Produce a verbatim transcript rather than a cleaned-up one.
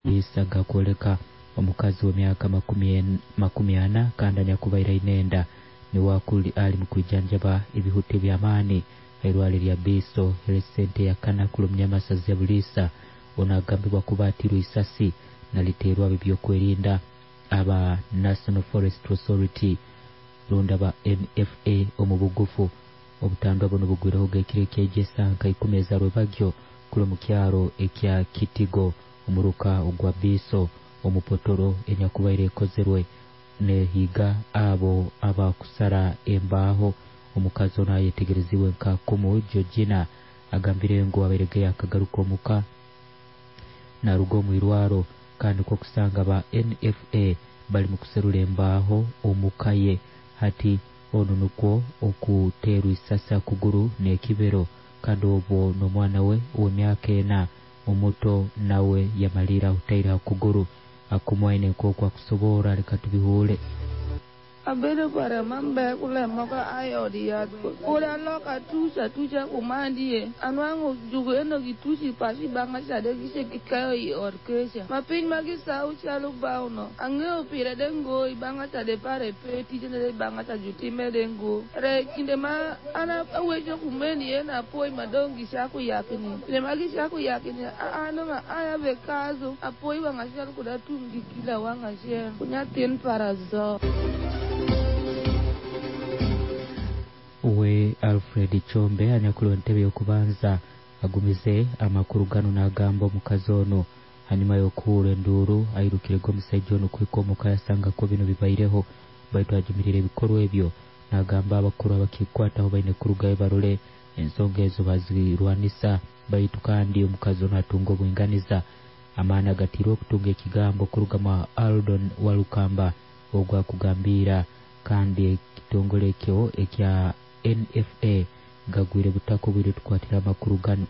Isa gakwoleka omukazi w'emyaka makumi ana kandi anyakubaire aine enda niwe ali mukwijanjaba ebihuta eby'amaani hairwaro erya Biiso Health Center eyakana kurumu ya Buliisa. Onu agambibwa kuba atirwe isasi naliteerwa ab'ebyokwerinda aba National Forest Authority rundi aba N F A omu bugufu. Obutandwa buno bugwireho ekiro ekyaija esaaha nka ikumi ezarwebagyo kuri omu kyaro ekya Kitigo omuruka ogwa Biiso omupotoro enyakubaire ekozerwe nehiiga abo abakusara embaho. Omukazi ono ayetegereziibwe nka Kumu Georgina agambire ngu abairege yakagaruka omuka naruga omu irwaro kandi kwo kusanga ba N F A bali mu kuserura embaho omuka ye. Hati ono nukwo okuteerwa isasi akuguru n'ekibero kandi obwo n'omwana we ow'emyaka ena omuto nawe yamalira ahutaire ha kuguru. Akumwaine nk'oku akusoborra, leka tubihuule. Abedo pare mambe kule moka ayodi ya ora loka tucha tucha kumandie anwango jugo eno gituchi pashi banga chade gishe kikayo i orkesha mapiny magi sau chalo bauno ang'eyo pire dengo i banga chade pare pe tijene de banga cha jutime dengo re kinde ma ana awecho kumeni ena poi madongi shaku yakini kinde magi shaku yakini ano ma aya bekazo apoi wanga shal kuda tungi kila wanga shel kunyatin parazo. We Alfred Chombe anyakuliwe entebe y'okubanza agumize amakuru gano n'agamba omukazi ono hanyuma y'okuhurra enduuru airukire omusajja ono kuhika omuka yasanga ko bino bibaireho baitu ajumirire ebikorwa ebyo n'agamba abakuru abakikwataho baine kurugayo barole ensonga ezo bazirwanisa baitu kandi omukazi ono atunga obwinganiza. Amaani agatirwe okutunga ekigambo kuruga mu Aldon Walukamba ogwo akugambira kandi ekitongole ekyo ekya N F A gagwire butaka obwire tukwatira amakuru gano.